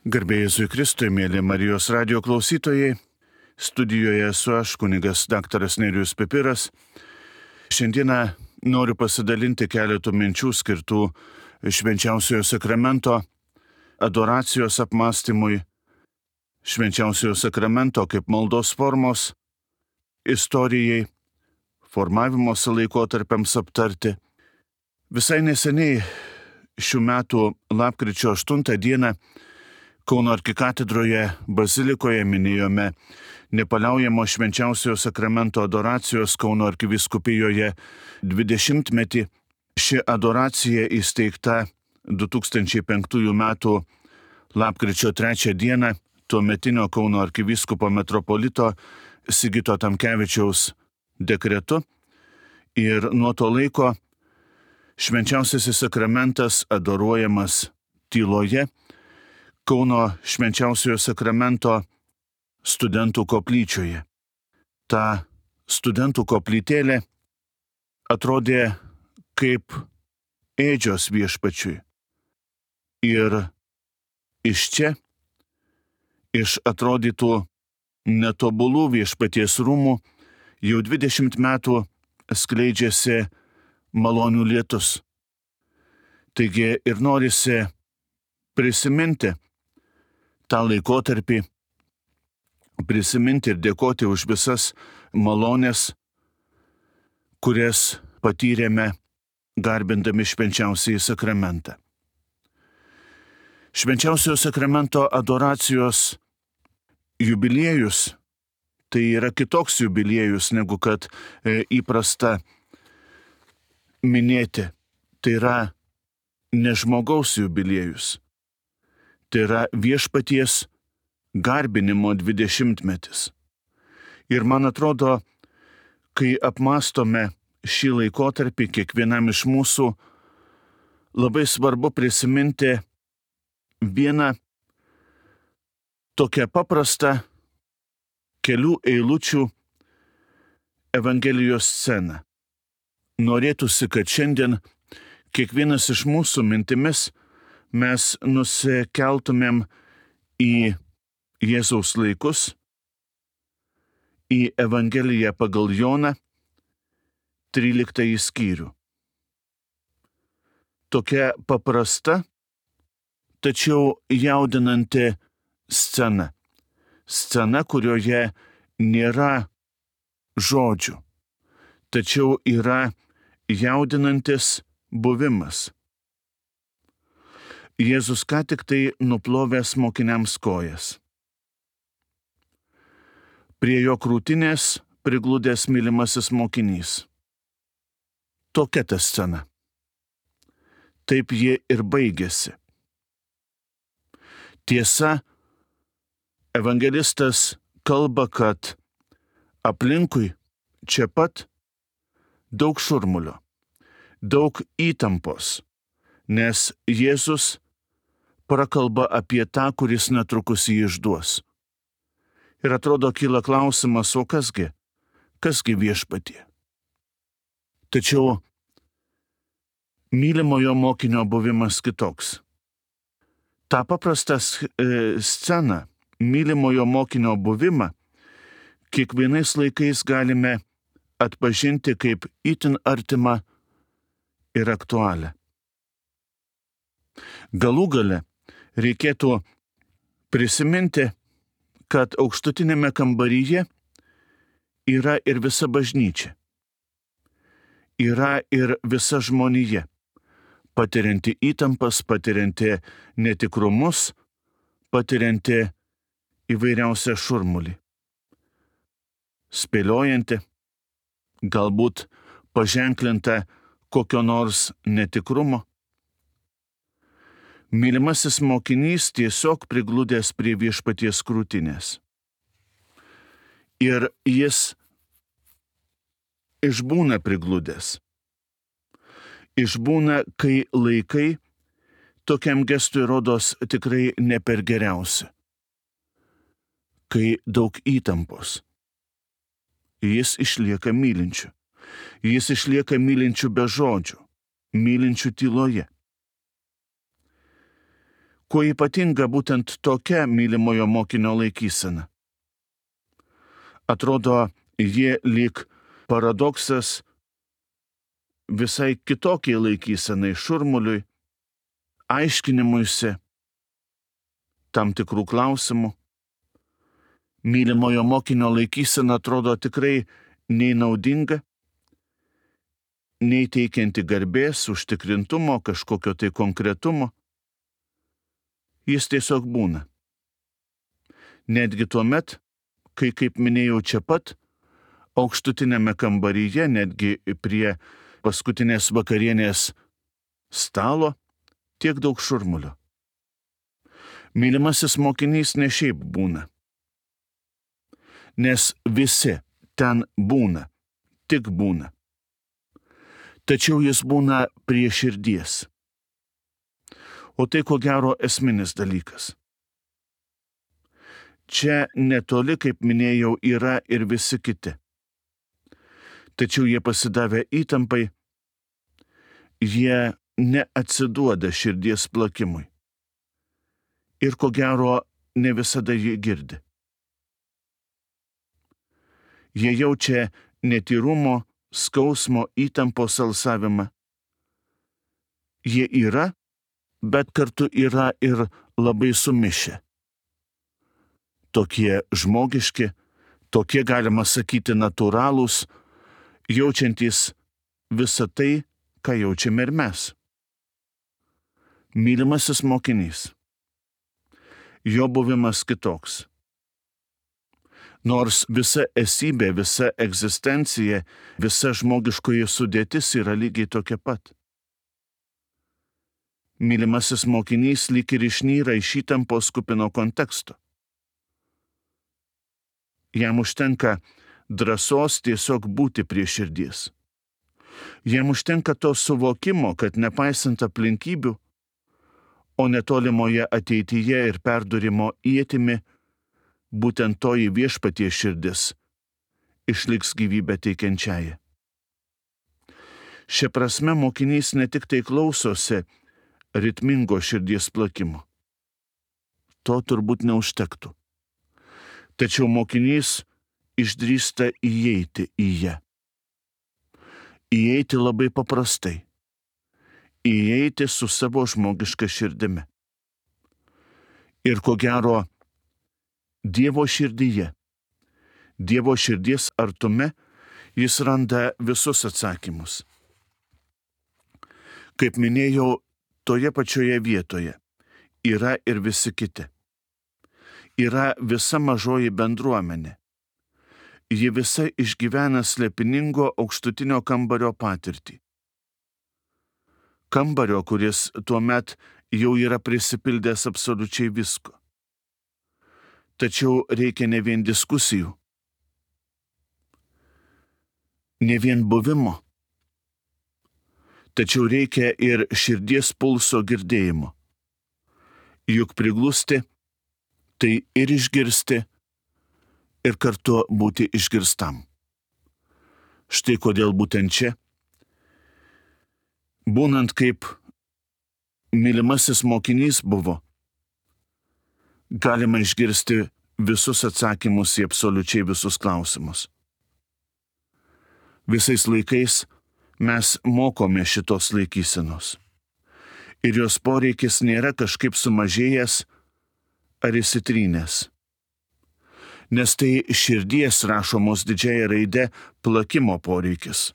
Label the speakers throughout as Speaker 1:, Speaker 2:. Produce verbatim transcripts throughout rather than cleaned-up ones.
Speaker 1: Garbė Jėzui Kristui, mėly Marijos radijo klausytojai, studijoje esu aš, kunigas daktaras Nerijus Pipiras. Šiandieną noriu pasidalinti keletų minčių skirtų Švenčiausiojo sakramento adoracijos apmąstymui, Švenčiausiojo sakramento kaip maldos formos istorijai, formavimosi laikotarpiams aptarti. Visai neseniai šių metų lapkričio aštuntą dieną Kauno arkikatedroje bazilikoje minėjome nepaliaujamo Švenčiausiojo sakramento adoracijos Kauno arkivyskupijoje dvidešimtmetį. Ši adoracija įsteigta du tūkstančiai penktųjų metų lapkričio trečią dieną tuometinio Kauno arkivyskupo metropolito Sigito Tamkevičiaus dekretu. Ir nuo to laiko Švenčiausiasis sakramentas adoruojamas tyloje Kauno Švenčiausiojo sakramento studentų koplyčioje. Ta studentų koplytėlė atrodė kaip ėdžios viešpačiui. Ir iš čia, iš atrodytų netobulų viešpaties rūmų, jau dvidešimt metų skleidžiasi malonių lietus. Taigi ir norisi prisiminti tą laikotarpį, prisiminti ir dėkoti už visas malonės, kurias patyrėme garbindami Švenčiausiąjį sakramentą. Švenčiausiojo sakramento adoracijos jubiliejus tai yra kitoks jubiliejus negu kad e, įprasta minėti. Tai yra ne žmogaus jubiliejus. Tai yra viešpaties garbinimo dvidešimtmetis. Ir man atrodo, kai apmąstome šį laikotarpį, kiekvienam iš mūsų labai svarbu prisiminti vieną tokią paprastą kelių eilučių Evangelijos sceną. Norėtųsi, kad šiandien kiekvienas iš mūsų mintimis mes nusikeltumėm į Jėzaus laikus, į Evangeliją pagal Joną, tryliktąjį skyrių. Tokia paprasta, tačiau jaudinanti scena. Scena, kurioje nėra žodžių, tačiau yra jaudinantis buvimas. Jėzus ką tik tai nuplovęs mokiniams kojas. Prie jo krūtinės prigludęs mylimasis mokinys. Tokia ta scena. Taip ji ir baigėsi. Tiesa, evangelistas kalba, kad aplinkui čia pat daug šurmulio, daug įtampos, nes Jėzus prakalba apie tą, kuris netrukus jį išduos. Ir atrodo kyla klausimas, o kasgi, kasgi viešpatie? Tačiau mylimojo mokinio buvimas kitoks. Ta paprastą e, sceną, mylimojo mokinio buvimą, kiekvienais laikais galime atpažinti kaip itin artimą ir aktualią. Galų gale reikėtų prisiminti, kad aukštutinėme kambaryje yra ir visa bažnyčia. Yra ir visa žmonija, patirianti įtampas, patirianti netikrumus, patirianti įvairiausią šurmulį. Spėliojanti, galbūt paženklinta kokio nors netikrumo. Mylimasis mokinys tiesiog prigludęs prie viešpaties krūtinės. Ir jis išbūna prigludęs. Išbūna, kai laikai tokiam gestui rodos tikrai ne per geriausi. Kai daug įtampos. Jis išlieka mylinčiu. Jis išlieka mylinčiu be žodžių, mylinčiu tyloje. Kuo ypatinga būtent tokia mylimojo mokinio laikysena? Atrodo, jie lyg paradoksas visai kitokiai laikysenai, šurmuliui, aiškinimuisi tam tikrų klausimų. Mylimojo mokinio laikysena atrodo tikrai nei naudinga, nei teikianti garbės, užtikrintumo, kažkokio tai konkretumo. Jis tiesiog būna. Netgi tuomet, kai, kaip minėjau čia pat, aukštutinėme kambaryje, netgi prie paskutinės vakarienės stalo, tiek daug šurmulio. Mylimasis mokinys ne šiaip būna, nes visi ten būna, tik būna. Tačiau jis būna prie širdies. O tai ko gero esminis dalykas. Čia netoli, kaip minėjau, yra ir visi kiti. Tačiau jie pasidavę įtampai, jie neatsiduoda širdies plakimui. Ir ko gero ne visada jį girdi. Jie jaučia netyrumo, skausmo, įtampos alsavimą. Jie yra, bet kartu yra ir labai sumišę. Tokie žmogiški, tokie galima sakyti natūralūs, jaučiantys visą tai, ką jaučiame ir mes. Mylimasis mokinys. Jo buvimas kitoks. Nors visa esybė, visa egzistencija, visa žmogiškoji sudėtis yra lygiai tokia pat. Mylimasis mokinys lyg ir išnyra iš įtampos kupino konteksto. Jam užtenka drąsos tiesiog būti prie širdies. Jam užtenka to suvokimo, kad nepaisant aplinkybių, o netolimoje ateityje ir perdurimo ietimi, būtent toji viešpaties širdis išliks gyvybę teikiančiąją. Šia prasme mokinys ne tik tai klausosi ritmingo širdies plakimo. To turbūt neužtektų. Tačiau mokinys išdrįsta įeiti į ją. Įeiti labai paprastai. Įeiti su savo žmogiška širdimi. Ir ko gero, Dievo širdyje, Dievo širdies artume jis randa visus atsakymus. Kaip minėjau, toje pačioje vietoje yra ir visi kiti. Yra visa mažoji bendruomenė. Ji visa išgyvena slepiningo aukštutinio kambario patirtį. Kambario, kuris tuomet jau yra prisipildęs absoliučiai visko. Tačiau reikia ne vien diskusijų, ne vien buvimo, tačiau reikia ir širdies pulso girdėjimo. Juk priglusti tai ir išgirsti, ir kartu būti išgirstam. Štai kodėl būtent čia, būnant kaip mylimasis mokinys buvo, galima išgirsti visus atsakymus į absoliučiai visus klausimus. Visais laikais mes mokome šitos laikysenos. Ir jos poreikis nėra kažkaip sumažėjęs ar įsitrynęs. Nes tai širdies rašomos didžiąja raide plakimo poreikis.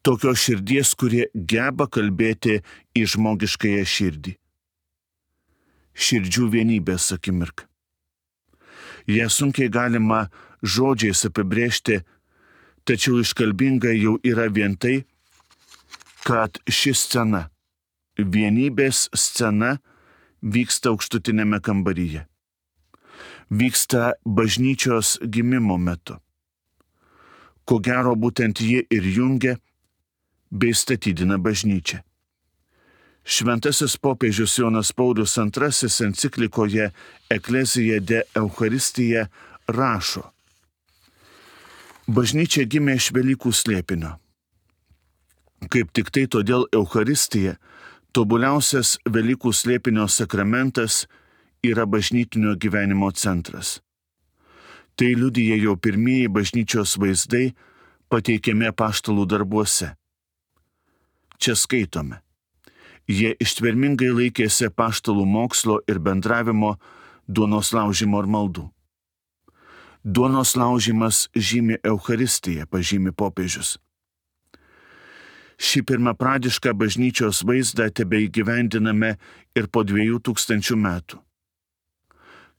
Speaker 1: Tokios širdies, kurie geba kalbėti į žmogiškąją širdį. Širdžių vienybės akimirka. Ją sunkiai galima žodžiais apibrėžti, tačiau iškalbinga jau yra vien tai, kad ši scena, vienybės scena, vyksta aukštutinėme kambaryje. Vyksta bažnyčios gimimo metu. Ko gero būtent ji ir jungia bei statydina bažnyčią. Šventasis popiežius Jonas Paulius antrasis enciklikoje Ecclesia de Eucharistija rašo: bažnyčia gimė iš Velykų slėpinio. Kaip tik tai todėl Eucharistija Tobuliausias Velykų slėpinio sakramentas yra bažnytinio gyvenimo centras. Tai liudija jau pirmieji bažnyčios vaizdai pateikiami apaštalų darbuose. Čia skaitome. Jie ištvermingai laikėsi apaštalų mokslo ir bendravimo, duonos laužimo ir maldų. Duonos laužimas žymi Eucharistiją, pažymi popiežius. Šį pirmapradišką bažnyčios vaizdą tebeįgyvendiname ir po dviejų tūkstančių metų.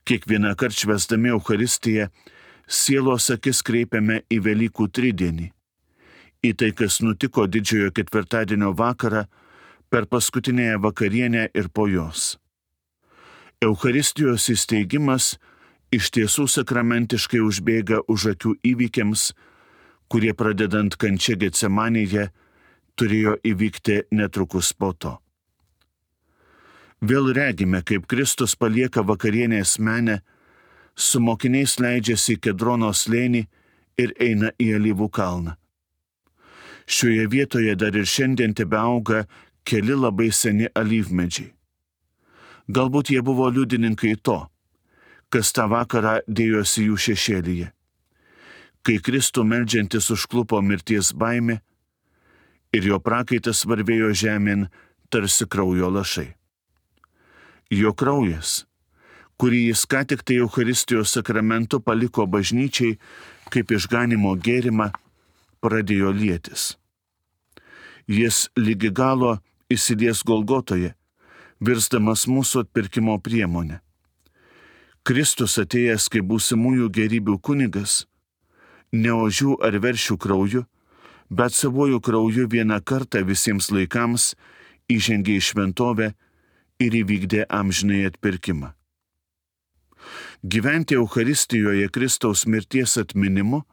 Speaker 1: Kiekvieną kartą švęsdami Eucharistiją, sielos akis kreipiame į Velykų tridienį, į tai, kas nutiko didžiojo ketvirtadienio vakarą, per paskutinėją vakarienę ir po jos. Eucharistijos įsteigimas iš tiesų sakramentiškai užbėga už akių įvykiams, kurie pradedant kančia Getsemanėje turėjo įvykti netrukus po to. Vėl regime, kaip Kristus palieka vakarienės menę, su mokiniais leidžiasi į Kedrono slėnį ir eina į Alyvų kalną. Šioje vietoje dar ir šiandien tebeauga keli labai seni alyvmedžiai. Galbūt jie buvo liudininkai to, kas tą vakarą dėjosi jų šešėlyje. Kai Kristų meldžiantis užklupo mirties baimė ir jo prakaitas varvėjo žemėn tarsi kraujo lašai. Jo kraujas, kurį jis ką tik tai Eucharistijos sakramentu paliko bažnyčiai kaip išganimo gėrimą, pradėjo lietis. Jis lygi galo įsilies Golgotoje, virsdamas mūsų atpirkimo priemonę. Kristus atėjęs kaip būsimųjų gerybių kunigas, ne ožių ar veršių krauju, bet savojų krauju vieną kartą visiems laikams įžengė į šventovę ir įvykdė amžinai atpirkimą. Gyventi Eucharistijoje Kristaus mirties atminimu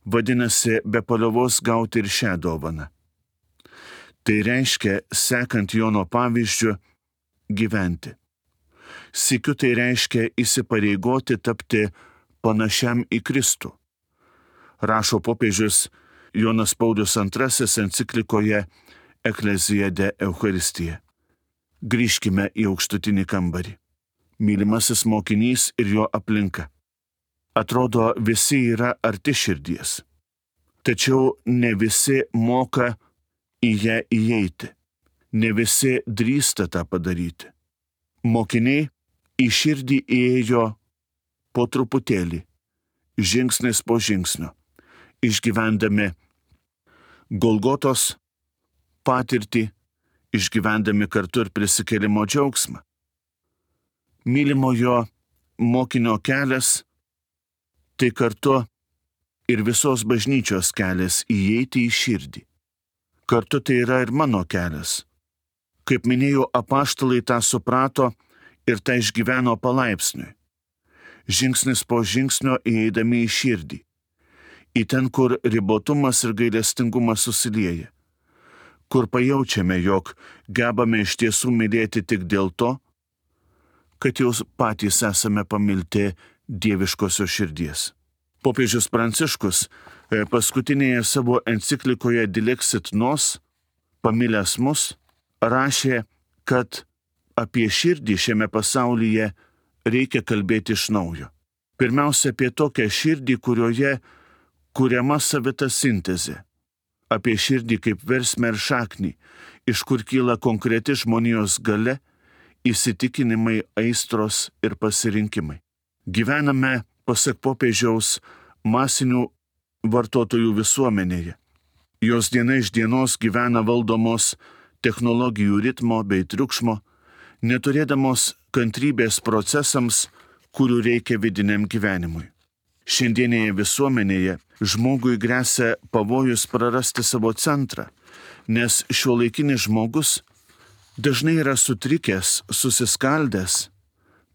Speaker 1: vadinasi be paliovos gauti ir šią dovaną. Tai reiškia, sekant Jono pavyzdžiu, gyventi. Sykiu tai reiškia įsipareigoti tapti panašiam į Kristų. Rašo popiežius Jonas Paulius antrasis enciklikoje Ecclesia de Eucharistija. Grįžkime į aukštutinį kambarį. Mylimasis mokinys ir jo aplinka. Atrodo, visi yra arti širdies. Tačiau ne visi moka į ją įeiti. Ne visi drįsta tą padaryti. Mokiniai į širdį įėjo po truputėlį, žingsnis po žingsnio, išgyvendami Golgotos patirtį, išgyvendami kartu ir prisikėlimo džiaugsmą. Mylimojo mokinio kelias tai kartu ir visos bažnyčios kelias įeiti į širdį. Kartu tai yra ir mano kelias. Kaip minėjau, apaštalai tą suprato ir tą išgyveno palaipsniui. Žingsnis po žingsnio įeidami į širdį. Į ten, kur ribotumas ir gailestingumas susilieja. Kur pajaučiame, jog gebame iš tiesų mylėti tik dėl to, kad jau patys esame pamilti dieviškosios širdies. Popiežius Pranciškus paskutinėje savo enciklikoje Dilexit Nos, pamilęs mus, rašė, kad apie širdį šiame pasaulyje reikia kalbėti iš naujo. Pirmiausia, apie tokią širdį, kurioje kuriama savita sintezė. Apie širdį kaip versmę ir šaknį, iš kur kyla konkreti žmonijos galia, įsitikinimai, aistros ir pasirinkimai. Gyvename, pasak popiežiaus, masinių vartotojų visuomenėje. Jos diena iš dienos gyvena valdomos technologijų ritmo bei triukšmo, neturėdamos kantrybės procesams, kurių reikia vidiniam gyvenimui. Šiandienėje visuomenėje žmogui gresia pavojus prarasti savo centrą, nes šiuolaikinis žmogus dažnai yra sutrikęs, susiskaldęs,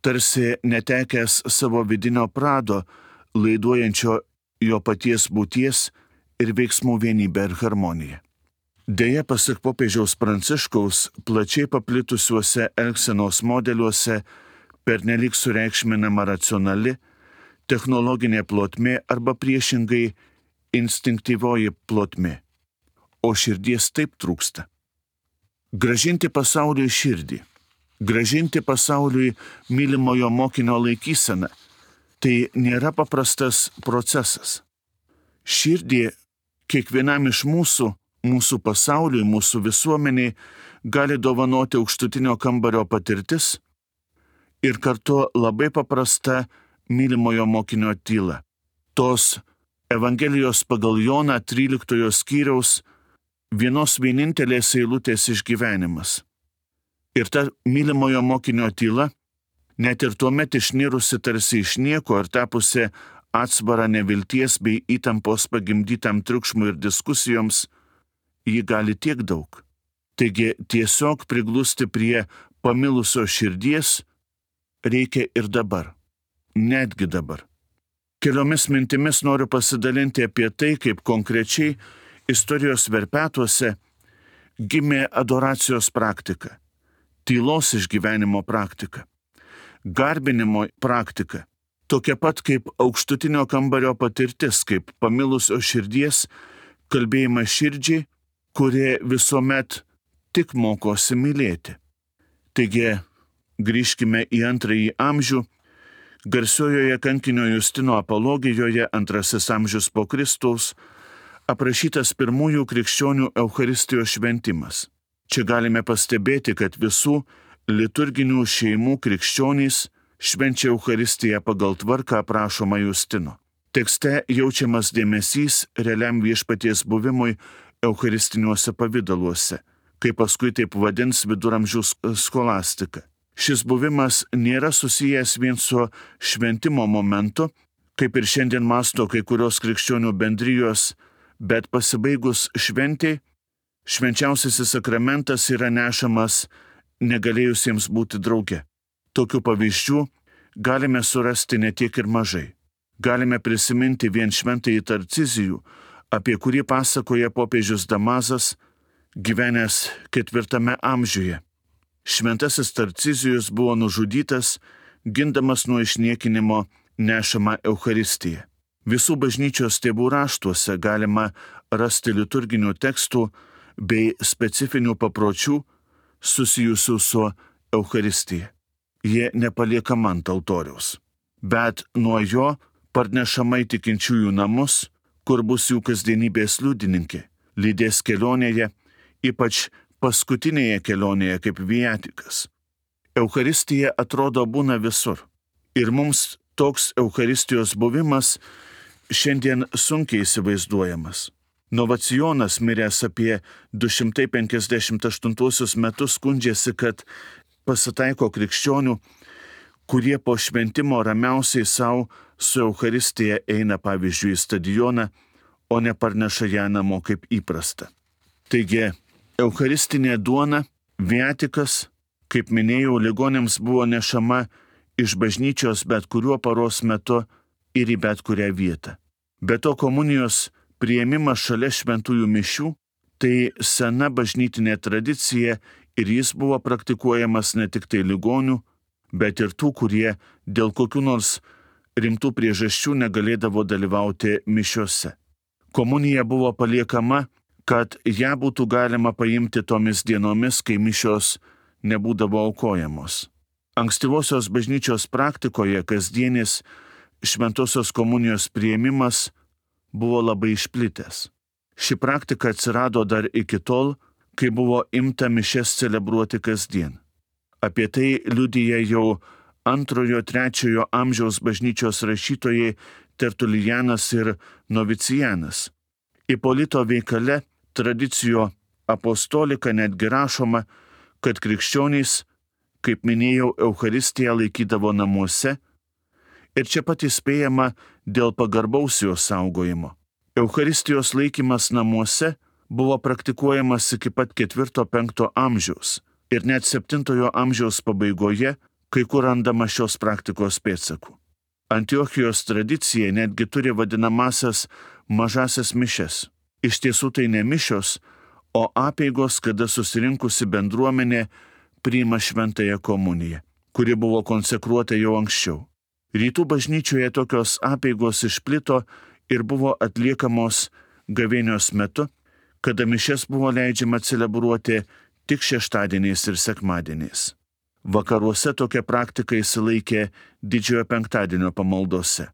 Speaker 1: tarsi netekęs savo vidinio prado, laiduojančio jo paties būties ir veiksmų vienybę ir harmoniją. Deja, pasak popiežiaus Pranciškaus, plačiai paplitusiuose elgsenos modeliuose pernelyg sureikšminama racionali, technologinė plotmė arba priešingai instinktyvioji plotmė, o širdies taip trūksta. Gražinti pasauliui širdį, gražinti pasauliui mylimojo mokinio laikyseną – tai nėra paprastas procesas. Širdį kiekvienam iš mūsų, mūsų pasauliui, mūsų visuomeniai gali dovanoti aukštutinio kambario patirtis ir kartu labai paprasta mylimojo mokinio tyla. Tos Evangelijos pagal Joną tryliktojo skyriaus vienos vienintelės eilutės išgyvenimas. Ir ta mylimojo mokinio tyla, net ir tuomet išnirusi tarsi iš nieko ir tapusi atsvara nevilties bei įtampos pagimdytam triukšmui ir diskusijoms, ji gali tiek daug. Taigi tiesiog priglusti prie pamilusio širdies reikia ir dabar, netgi dabar. Keliomis mintimis noriu pasidalinti apie tai, kaip konkrečiai istorijos verpetuose gimė adoracijos praktika, tylos išgyvenimo praktika, garbinimo praktika, tokia pat kaip aukštutinio kambario patirtis, kaip pamilusio širdies kalbėjimas širdžiai, kurie visuomet tik mokosi mylėti. Taigi, grįžkime į antrąjį amžių. Garsiojoje kankinio Justino apologijoje, antrasis amžius po Kristaus, aprašytas pirmųjų krikščionių Eucharistijos šventimas. Čia galime pastebėti, kad visų liturginių šeimų krikščionys švenčia Eucharistiją pagal tvarką aprašomą Justino. Tekste jaučiamas dėmesys realiam viešpaties buvimui eucharistiniuose pavidaluose, kaip paskui taip vadins viduramžių skolastika. Šis buvimas nėra susijęs vien su šventimo momentu, kaip ir šiandien masto kai kurios krikščionių bendrijos, bet pasibaigus šventei, švenčiausiasis sakramentas yra nešamas negalėjusiems būti drauge. Tokių pavyzdžių galime surasti ne tiek ir mažai. Galime prisiminti vien šventąjį Tarcizijų, apie kurį pasakoja popiežius Damazas, gyvenęs ketvirtame amžiuje. Šventasis Tarcizijus buvo nužudytas, gindamas nuo išniekinimo nešamą Eucharistiją. Visų bažnyčios tėvų raštuose galima rasti liturginių tekstų bei specifinių papročių susijusių su Eucharistija. Jie nepaliekama ant altoriaus, bet nuo jo parnešama į tikinčiųjų namus, kur bus jų kasdienybės liudininkė, lydės kelionėje, ypač paskutinėje kelionėje kaip viatikas. Eucharistija atrodo būna visur. Ir mums toks Eucharistijos buvimas šiandien sunkiai įsivaizduojamas. Novacionas, miręs apie du šimtai penkiasdešimt aštuntuosius metus, skundžiasi, kad pasitaiko krikščionių, kurie po šventimo ramiausiai savo su Eucharistija eina pavyzdžiui į stadioną, o ne parneša ją namo kaip įprasta. Taigi, Eucharistinė duona, viatikas, kaip minėjau, ligonėms buvo nešama iš bažnyčios bet kuriuo paros metu ir į bet kurią vietą. Be to komunijos priėmimas šalia šventųjų mišių – tai sena bažnytinė tradicija ir jis buvo praktikuojamas ne tik tai ligonių, bet ir tų, kurie dėl kokių nors rimtų priežasčių negalėdavo dalyvauti mišiose. Komunija buvo paliekama, kad ją būtų galima paimti tomis dienomis, kai mišios nebūdavo aukojamos. Ankstyvosios bažnyčios praktikoje kasdienis šventosios komunijos priėmimas buvo labai išplitęs. Ši praktika atsirado dar iki tol, kai buvo imta mišias celebruoti kasdien. Apie tai liudija jau antrojo trečiojo amžiaus bažnyčios rašytojai Tertulijanas ir Novicijanas. Ipolito veikale Tradicijo apostolika netgi rašoma, kad krikščionys, kaip minėjau, Eucharistiją laikydavo namuose ir čia pat įspėjama dėl pagarbaus jos saugojimo. Eucharistijos laikymas namuose buvo praktikuojamas iki pat ketvirto penkto amžiaus ir net septintojo amžiaus pabaigoje kai kur randama šios praktikos pėdsakų. Antiochijos tradicija netgi turi vadinamasias mažasias mišias. Iš tiesų tai ne mišios, o apeigos, kada susirinkusi bendruomenė priima šventąją komuniją, kuri buvo konsekruota jau anksčiau. Rytų bažnyčioje tokios apeigos išplito ir buvo atliekamos gavėnios metu, kada mišias buvo leidžiama celebruoti tik šeštadieniais ir sekmadieniais. Vakaruose tokia praktika įsilaikė Didžiojo penktadienio pamaldose.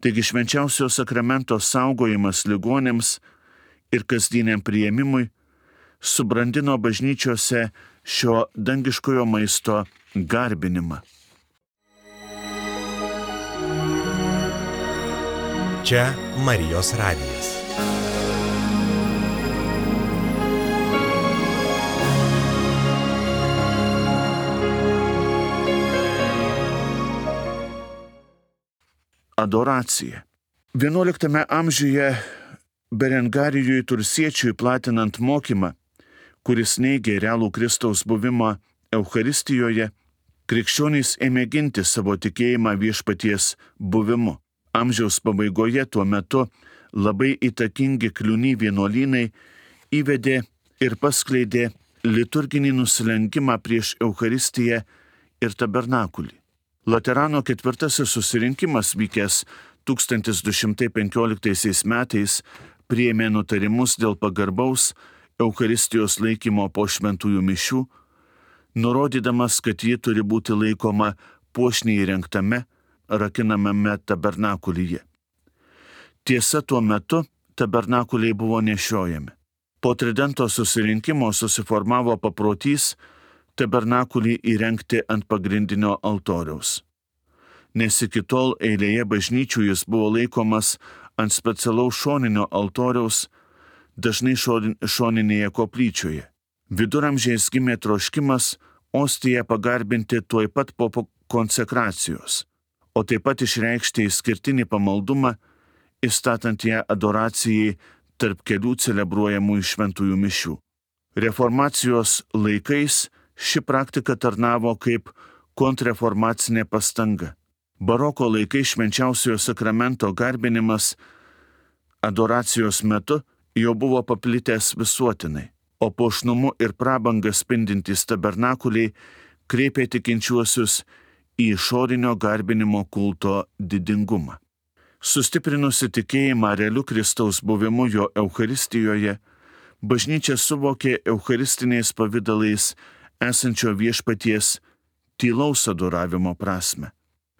Speaker 1: Taigi švenčiausio sakramento saugojimas ligonėms ir kasdieniam priėmimui subrandino bažnyčiose šio dangiškojo maisto garbinimą.
Speaker 2: Čia Marijos radijas.
Speaker 1: Adoracija. vienuoliktame amžiuje Berengarijui Tursiečiui platinant mokymą, kuris neigė realų Kristaus buvimą Eucharistijoje, krikščionys ėmė ginti savo tikėjimą viešpaties buvimu. Amžiaus pabaigoje tuo metu labai įtakingi kliūny vienuolynai įvedė ir paskleidė liturginį nusilenkimą prieš Eucharistiją ir tabernakulį. Laterano ketvirtasis susirinkimas vykęs tūkstantis du šimtai penkioliktaisiais metais priėmė nutarimus dėl pagarbaus Eucharistijos laikymo po šventųjų mišių, nurodydamas, kad ji turi būti laikoma puošniai įrengtame, rakinamame tabernakulyje. Tiesa, tuo metu tabernakuliai buvo nešiojami. Po Tridento susirinkimo susiformavo paprotys tabernakulį įrengti ant pagrindinio altoriaus, nes iki tol eilėje bažnyčių jis buvo laikomas ant specialaus šoninio altoriaus, dažnai šoninėje koplyčioje. Viduramžiais gimė troškimas ostiją pagarbinti tuoj pat po konsekracijos, o taip pat išreikšti išskirtinį pamaldumą, įstatant ją adoracijai tarp kelių celebruojamų šventųjų mišių. Reformacijos laikais ši praktika tarnavo kaip kontrreformacinė pastanga. Baroko laikais švenčiausiojo sakramento garbinimas adoracijos metu jau buvo paplitęs visuotinai, o puošnumu ir prabanga spindintys tabernakuliai kreipė tikinčiuosius į išorinio garbinimo kulto didingumą. Sustiprinusi tikėjimą realiu Kristaus buvimu jo Eucharistijoje, bažnyčia suvokė eucharistiniais pavydalais esančio viešpaties tylaus adoravimo prasme.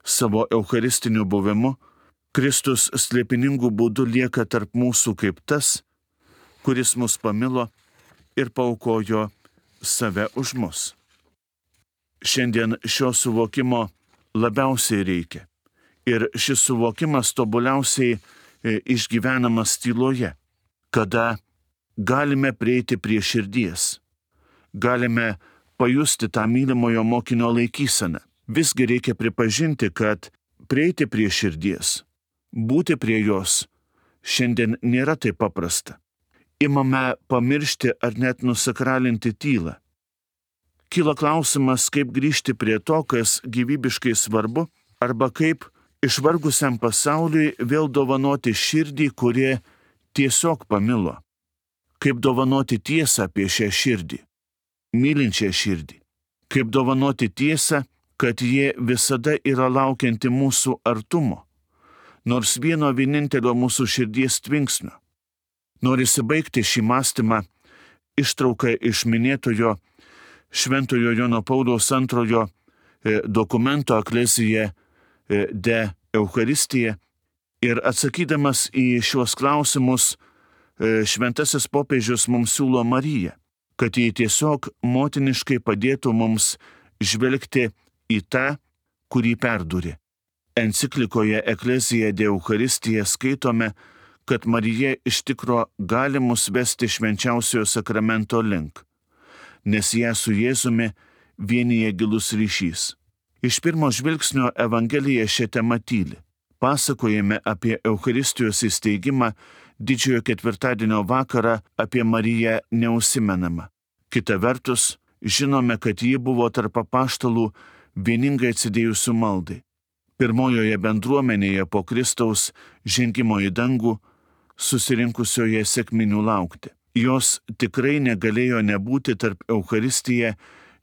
Speaker 1: Savo eucharistiniu buvimu Kristus slėpiningų būdų lieka tarp mūsų kaip tas, kuris mus pamilo ir paaukojo save už mus. Šiandien šio suvokimo labiausiai reikia. Ir šis suvokimas tobuliausiai išgyvenamas tyloje, kada galime prieiti prie širdies, galime pajusti tą mylimojo mokinio laikyseną. Visgi reikia pripažinti, kad prieiti prie širdies, būti prie jos šiandien nėra taip paprasta. Imame pamiršti ar net nusakralinti tylą. Kyla klausimas, kaip grįžti prie to, kas gyvybiškai svarbu, arba kaip išvargusiam pasauliui vėl dovanoti širdį, kurie tiesiog pamilo. Kaip dovanoti tiesą apie šią širdį, mylinčią širdį. Kaip dovanoti tiesą, kad jie visada yra laukianti mūsų artumo, nors vieno vienintelio mūsų širdies tvinksnio. Norisi baigti šį mąstymą ištrauką iš minėtojo Šventojo Jono Pauliaus antrojo dokumento Ecclesiae de Eucharistija ir atsakydamas į šiuos klausimus, šventasis popiežius mums siūlo Mariją, kad jį tiesiog motiniškai padėtų mums žvelgti į tą, kurį perdūrė. Enciklikoje Ecclesiae de Eucharistija skaitome, kad Marija iš tikro gali mus vesti švenčiausiojo sakramento link, nes ją su Jėzumi vienyje gilus ryšys. Iš pirmo žvilgsnio Evangelija šią temą tyli. Pasakojame apie Eucharistijos įsteigimą didžiojo ketvirtadienio vakarą, apie Mariją neužsimenama. Kita vertus, žinome, kad ji buvo tarp apaštalų vieningai atsidėjusių maldai. Pirmojoje bendruomenėje po Kristaus žengimo į dangų, susirinkusioje sekminių laukti. Jos tikrai negalėjo nebūti tarp Eucharistiją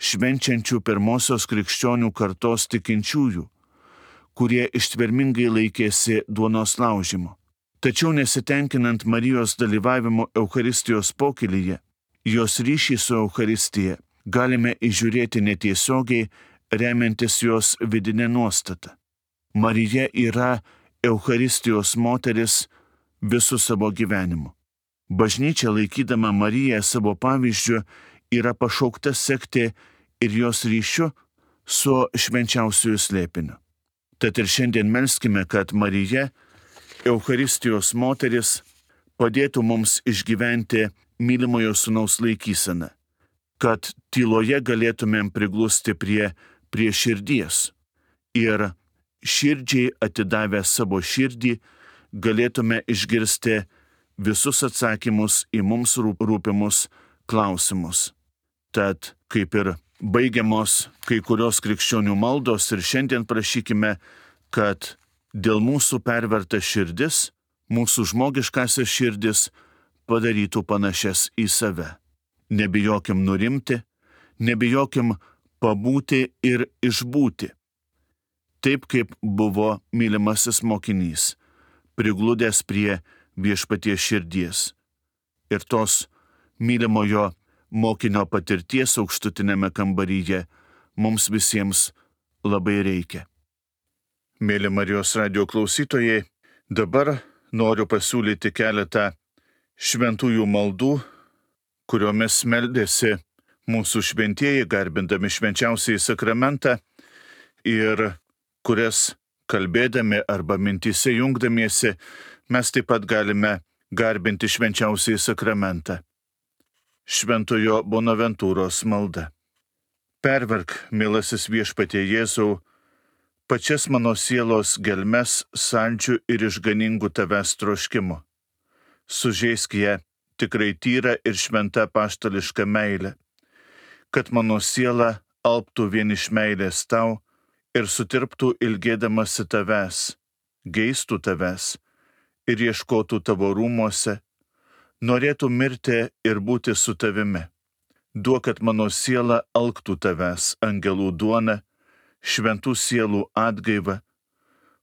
Speaker 1: švenčiančių pirmosios krikščionių kartos tikinčiųjų, kurie ištvermingai laikėsi duonos laužimo. Tačiau nesitenkinant Marijos dalyvavimo Eucharistijos pokylyje, Jos ryšį su Eucharistija galime įžiūrėti netiesiogiai, remiantis jos vidinę nuostatą. Marija yra Eucharistijos moteris visų savo gyvenimu. Bažnyčia, laikydama Mariją savo pavyzdžiu, yra pašaukta sekti ir jos ryšiu su švenčiausiųjų slėpiniu. Tad ir šiandien melskime, kad Marija, Eucharistijos moteris, padėtų mums išgyventi mylimojo sūnaus laikyseną, kad tyloje galėtumėm priglusti prie, prie širdies ir širdžiai atidavę savo širdį galėtume išgirsti visus atsakymus į mums rūpimus klausimus. Tad kaip ir baigiamos kai kurios krikščionių maldos ir šiandien prašykime, kad dėl mūsų perverta širdis, mūsų žmogiškasias širdis padarytų panašias į save. Nebijokim nurimti, nebijokim pabūti ir išbūti. Taip kaip buvo mylimasis mokinys, prigludęs prie viešpaties širdies. Ir tos mylimojo mokinio patirties aukštutinėme kambaryje mums visiems labai reikia. Mėly Marijos radijo klausytojai, dabar noriu pasiūlyti keletą šventųjų maldų, kuriomis meldėsi mūsų šventieji, garbindami švenčiausiąjį sakramentą ir kurias kalbėdami arba mintyse jungdamiesi mes taip pat galime garbinti švenčiausiąjį sakramentą. Šventojo Bonaventūros malda. Perverk, mielasis viešpatie Jėzau, pačias mano sielos gelmes saldžių ir išganingų tavęs troškimu. Sužeisk ją tikrai tyra ir šventa apaštališka meilė, kad mano siela alptų vien iš meilės tau ir sutirptų ilgėdamasi tavęs, geistų tavęs ir ieškotų tavo rūmuose, norėtų mirti ir būti su tavimi. Duok, kad mano siela alktų tavęs, angelų duona, šventų sielų atgaiva,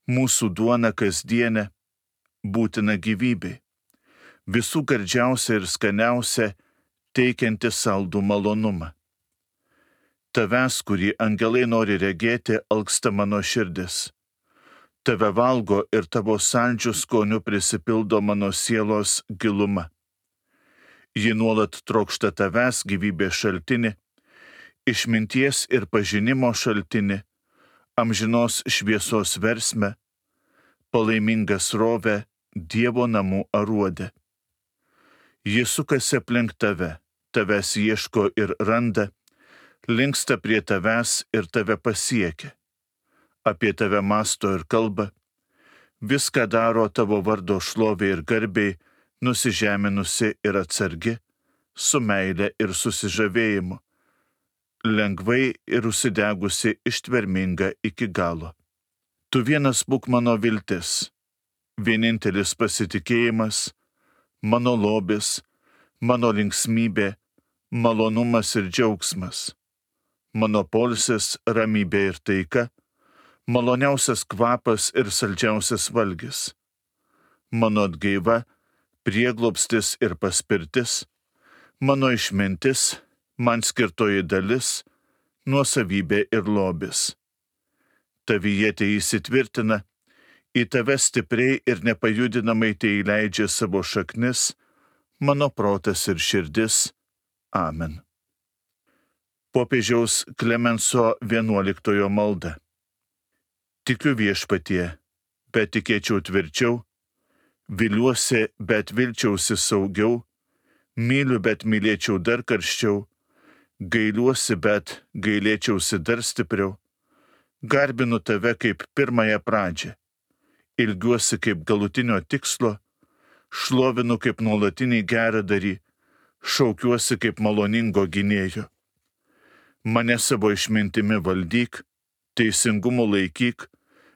Speaker 1: mūsų duona kasdienė, būtina gyvybei, visų gardžiausia ir skaniausia, teikianti saldų malonumą. Tavęs, kurį angelai nori regėti, alksta mano širdis. Tave valgo ir tavo saldžių skonių prisipildo mano sielos giluma. Ji nuolat trokšta tavęs, gyvybės šaltinį, išminties ir pažinimo šaltinį, amžinos šviesos versmę, palaimingą srovę, Dievo namų aruodę. Ji sukasi aplink tave, tavęs ieško ir randa, linksta prie tavęs ir tave pasiekia. Apie tave mąsto ir kalba, viską daro tavo vardo šlovė ir garbiai, nusižeminusi ir atsargi, su meile ir susižavėjimu, lengvai ir užsidegusi ištverminga iki galo. Tu vienas būk mano viltis, vienintelis pasitikėjimas, mano lobis, mano linksmybė, malonumas ir džiaugsmas, mano poilsis, ramybė ir taika, maloniausias kvapas ir saldžiausias valgis, mano atgaiva, prieglobstis ir paspirtis, mano išmintis, man skirtoji dalis, nuosavybė ir lobis. Tavyje te įsitvirtina, į tave stipriai ir nepajudinamai te įleidžia savo šaknis, mano protas ir širdis. Amen. Popiežiaus Klemenso vienuoliktojo malda. Tikiu viešpatie, bet tikėčiau tvirčiau, viliuosi, bet vilčiausi saugiau, myliu, bet mylėčiau dar karščiau, gailiuosi, bet gailėčiausi dar stipriau, garbinu tave kaip pirmąją pradžią, ilgiuosi kaip galutinio tikslo, šlovinu kaip nuolatinį geradarį, šaukiuosi kaip maloningo gynėjo. Mane savo išmintimi valdyk, teisingumu laikyk,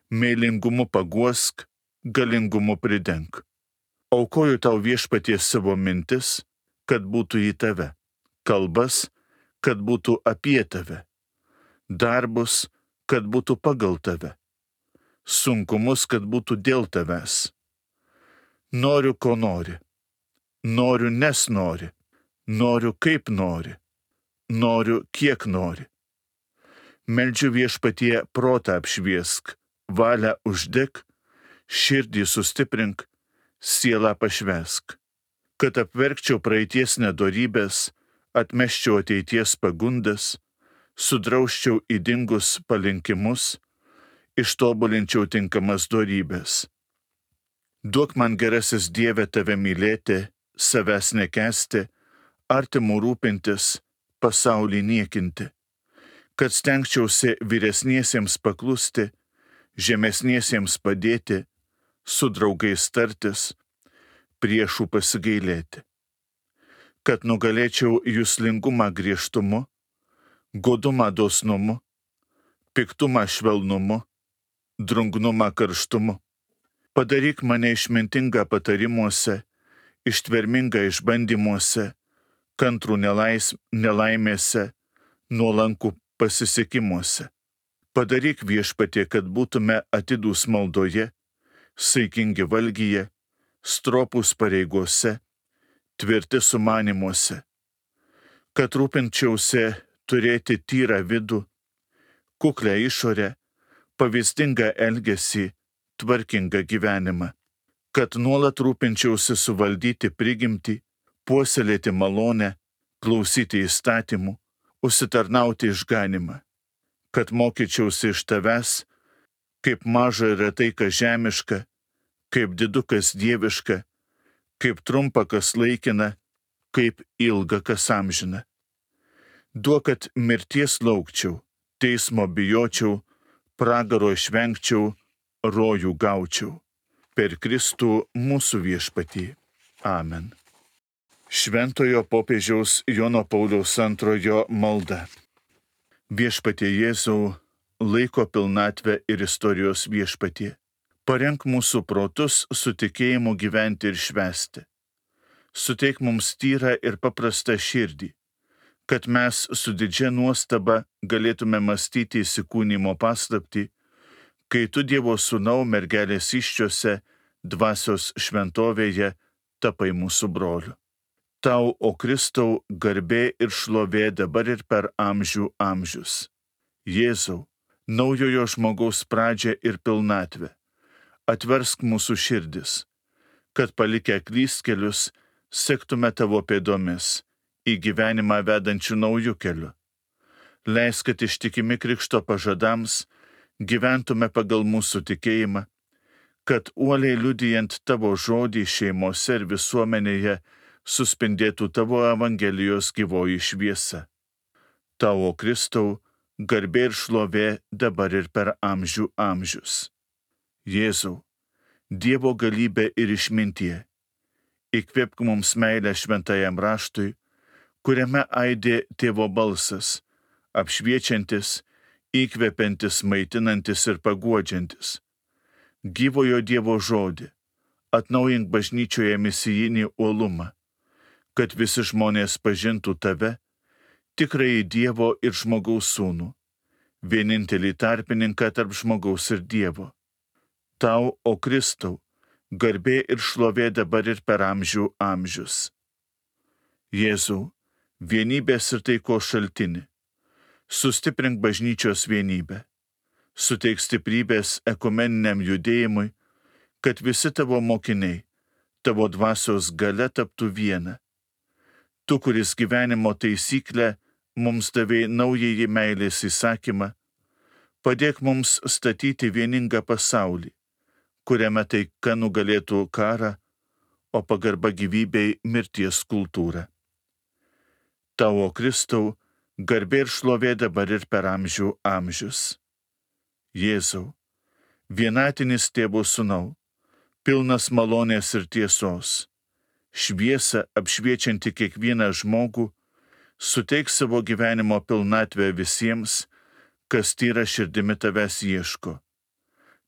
Speaker 1: meilingumu paguosk, galingumu pridenk. Aukoju tau viešpaties savo mintis, kad būtų į tave, kalbas, kad būtų apie tave, darbus, kad būtų pagal tave, sunkumus, kad būtų dėl tavęs. Noriu, ko nori, noriu, nes nori, Noriu kaip nori, noriu kiek nori. Meldžiu Viešpatie protą apšviesk, valią uždek, širdį sustiprink, sielą pašvesk, kad apverkčiau praeities nedorybės, atmeščiau ateities pagundas, sudrauščiau ydingus palinkimus, ištobulinčiau tinkamas dorybės. Duok man gerasis Dieve tave mylėti, savęs nekęsti, artimų rūpintis, pasaulį niekinti, kad stengčiausi vyresniesiems paklusti, žemesniesiems padėti, su draugais tartis, priešų pasigailėti, kad nugalėčiau juslingumą griežtumu, godumą dosnumu, piktumą švelnumu, drungnumą karštumu. Padaryk mane išmintingą patarimuose, ištvermingą išbandymuose, kantrų nelais, nelaimėse, nuolankų pasisekimuose. Padaryk Viešpatie, kad būtume atidūs maldoje, saikingi valgyje, stropūs pareigose, tvirti sumanimuose, kad rūpinčiausi turėti tyrą vidų, kuklę išorę, pavyzdingą elgesį, tvarkingą gyvenimą, kad nuolat rūpinčiausi suvaldyti prigimtį, puoselėti malonę, klausyti įstatymų, užsitarnauti išganimą, kad mokyčiausi iš tavęs, kaip maža yra tai, kas žemiška, kaip didu, kas dieviška, kaip trumpa, kas laikina, kaip ilga, kas amžina. Duok, kad mirties laukčiau, teismo bijočiau, pragaro išvengčiau, rojų gaučiau. Per Kristų mūsų Viešpatį. Amen. Šventojo popiežiaus Jono Pauliaus antrojo malda. Viešpatie Jėzau, laiko pilnatvę ir istorijos Viešpatie. Parenk mūsų protus su tikėjimu gyventi ir švęsti. Suteik mums tyrą ir paprastą širdį, kad mes su didžia nuostaba galėtume mąstyti įsikūnymo paslaptį, kai tu Dievo Sūnau mergelės įsčiose, dvasios šventovėje, tapai mūsų broliu. Tau, o Kristau, garbė ir šlovė dabar ir per amžių amžius. Jėzau, naujojo žmogaus pradžią ir pilnatvę, atversk mūsų širdis, kad palikę klystkelius, sektume tavo pėdomis į gyvenimą vedančių naujų kelių. Leisk, kad ištikimi Krikšto pažadams gyventume pagal mūsų tikėjimą, kad uoliai liudijant tavo žodį šeimose ir visuomenėje suspindėtų tavo Evangelijos gyvoji šviesa. Tavo Kristau, garbė ir šlovė dabar ir per amžių amžius. Jėzau, Dievo galybė ir išmintie, įkvėpk mums meilę šventajam raštui, kuriame aidė tėvo balsas, apšviečiantis, įkvepiantis, maitinantis ir paguodžiantis. Gyvojo Dievo žodį, atnaujink bažnyčioje misijinį uolumą, kad visi žmonės pažintų tave, tikrąjį Dievo ir žmogaus sūnų, vienintelį tarpininką tarp žmogaus ir Dievo. Tau, o Kristau, garbė ir šlovė dabar ir per amžių amžius. Jėzau, vienybės ir taikos šaltini, sustiprink bažnyčios vienybę, suteik stiprybės ekumeniniam judėjimui, kad visi tavo mokiniai, tavo dvasios galia taptų viena. Tu, kuris gyvenimo taisyklę mums davei naująjį meilės įsakymą, padėk mums statyti vieningą pasaulį, kuriame taika nugalėtų karą, o pagarba gyvybei mirties kultūrą. Tavo Kristau, garbė ir šlovė dabar ir per amžių amžius. Jėzau, vienatinis tėvo sūnau, pilnas malonės ir tiesos, šviesa apšviečianti kiekvieną žmogų, suteik savo gyvenimo pilnatvę visiems, kas tyra širdimi tavęs ieško.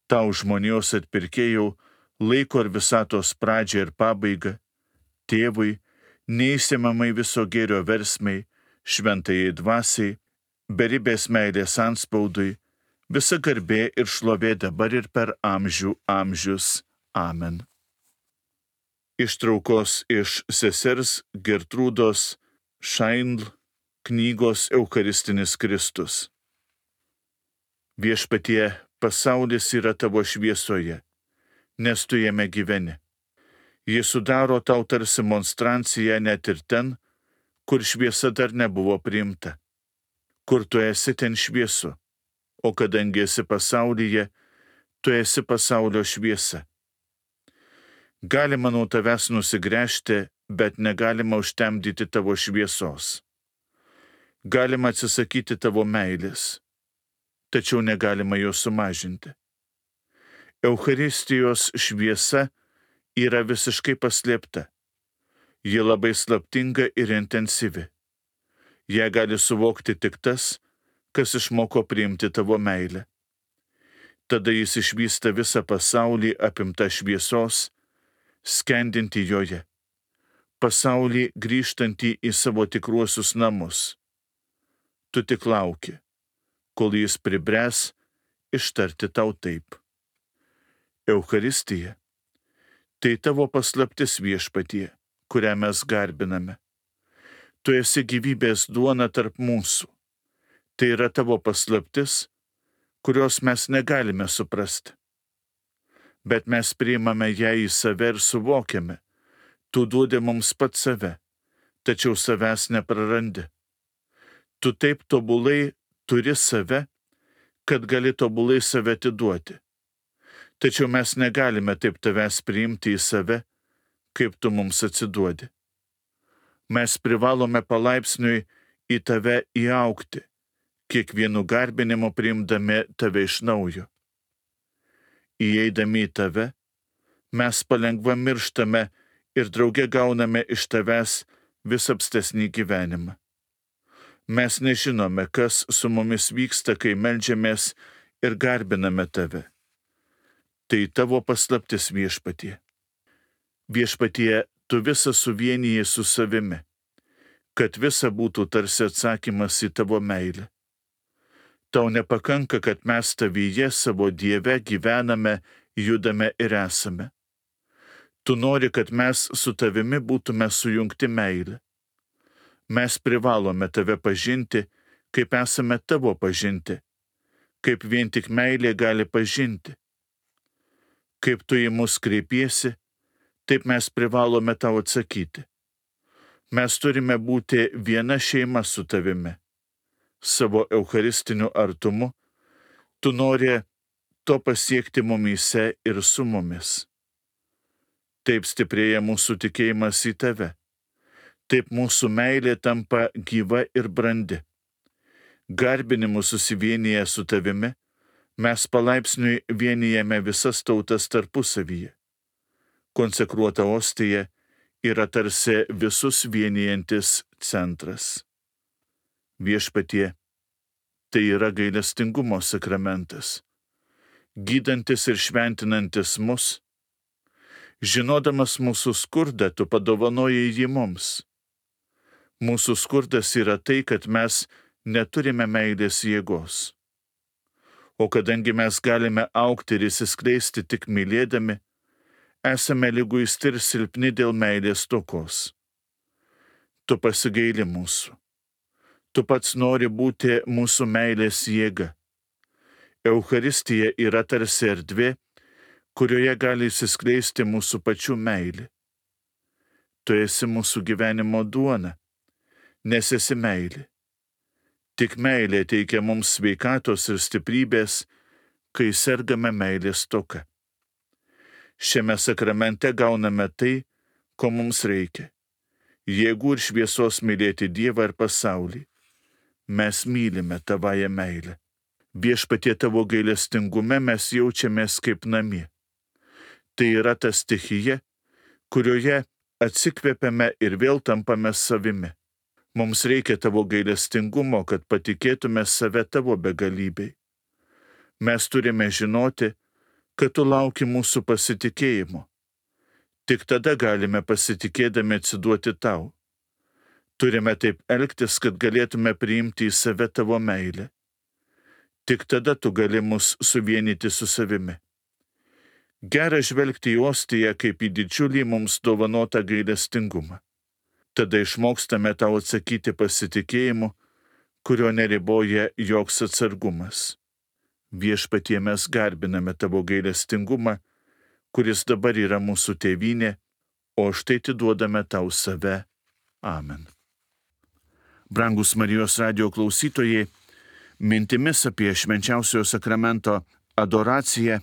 Speaker 1: Tau žmonijos atpirkėjau, laiko ir visatos pradžią ir pabaigą, tėvui, neįsiemamai viso gėrio versmei, šventajai dvasiai, beribės meilės anspaudui, visa garbė ir šlovė dabar ir per amžių amžius. Amen. Ištraukos iš sesers Gertrūdos Shaindl knygos Eucharistinis Kristus. Viešpatie, pasaulis yra tavo šviesoje, nes tu jame gyveni. Jis sudaro tau tarsi monstranciją net ir ten, kur šviesa dar nebuvo priimta. Kur tu esi, ten šviesu, o kadangi esi pasaulyje, tu esi pasaulio šviesa. Galima nuo tavęs nusigręžti, bet negalima užtemdyti tavo šviesos. Galima atsisakyti tavo meilės, tačiau negalima jos sumažinti. Eucharistijos šviesa yra visiškai paslėpta. Ji labai slaptinga ir intensyvi. Ją gali suvokti tik tas, kas išmoko priimti tavo meilę. Tada jis išvysta visą pasaulį apimtą šviesos, skendinti joje. Pasaulį grįžtantį į savo tikruosius namus. Tu tik lauki, kol jis pribręs ištarti tau taip. Eucharistija – tai tavo paslaptis, Viešpatie, kurią mes garbiname. Tu esi gyvybės duona tarp mūsų. Tai yra tavo paslaptis, kurios mes negalime suprasti. Bet mes priimame ją į save ir suvokiame. Tu duodi mums pats save, tačiau savęs neprarandi. Tu taip tobulai turi save, kad gali tobulai save atiduoti. Tačiau mes negalime taip tavęs priimti į save, kaip tu mums atsiduodi. Mes privalome palaipsniui į tave įaugti, kiekvienu garbinimu priimdami tave iš naujo. Įeidami į tave, mes palengva mirštame ir drauge gauname iš tavęs vis apstesnį gyvenimą. Mes nežinome, kas su mumis vyksta, kai meldžiamės ir garbiname tave. Tai tavo paslaptis, Viešpatie. Viešpatie, tu visą suvieniji su savimi, kad visa būtų tarsi atsakymas į tavo meilę. Tau nepakanka, kad mes tavyje savo Dieve gyvename, judame ir esame. Tu nori, kad mes su tavimi būtume sujungti meilę. Mes privalome tave pažinti, kaip esame tavo pažinti, kaip vien tik meilė gali pažinti. Kaip tu į mus kreipiesi, taip mes privalome tau atsakyti. Mes turime būti viena šeima su tavimi. Savo eucharistiniu artumu, tu nori to pasiekti mumyse ir su mumis. Taip stiprėja mūsų tikėjimas į tave. Taip mūsų meilė tampa gyva ir brandi. Garbinimu susivienyje su tavimi, mes palaipsniui vienijame visas tautas tarpusavyje. Konsekruota ostija yra tarsi visus vienijantis centras. Viešpatie, tai yra gailestingumo sakramentas, gydantis ir šventinantis mus. Žinodamas mūsų skurdą, tu padovanojai jį mums. Mūsų skurdas yra tai, kad mes neturime meilės jėgos. O kadangi mes galime augti ir įsiskleisti tik mylėdami, esame liguisti ir silpni dėl meilės stokos. Tu pasigaili mūsų. Tu pats nori būti mūsų meilės jėga. Eucharistija yra tarsi erdvė, kurioje gali įsiskleisti mūsų pačių meilė. Tu esi mūsų gyvenimo duona, nes esi meilė. Tik meilė teikia mums sveikatos ir stiprybės, kai sergame meilės stoka. Šiame sakramente gauname tai, ko mums reikia. Jėgų ir šviesos mylėti Dievą ir pasaulį. Mes mylime tavąją meilę. Viešpatie, tavo gailestingume mes jaučiamės kaip namie. Tai yra ta stichija, kurioje atsikvėpiame ir vėl tampame savimi. Mums reikia tavo gailestingumo, kad patikėtume save tavo begalybei. Mes turime žinoti, kad tu lauki mūsų pasitikėjimo. Tik tada galime pasitikėdami atsiduoti tau. Turime taip elgtis, kad galėtume priimti į save tavo meilę. Tik tada tu gali mus suvienyti su savimi. Gera žvelgti į ostiją kaip į didžiulį mums dovanotą gailestingumą. Tada išmokstame tau atsakyti pasitikėjimu, kurio neriboja joks atsargumas. Viešpatie, mes garbiname tavo gailestingumą, kuris dabar yra mūsų tėvynė, o štai atiduodame tau save. Amen. Brangus Marijos radijo klausytojai, mintimis apie švenčiausiojo sakramento adoraciją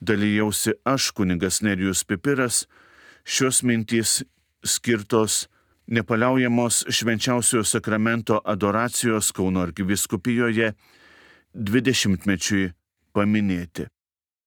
Speaker 1: dalijausi aš, kunigas Nerijus Pipiras. Šios mintys skirtos nepaliaujamos švenčiausiojo sakramento adoracijos Kauno arkivyskupijoje dvidešimtmečiui paminėti.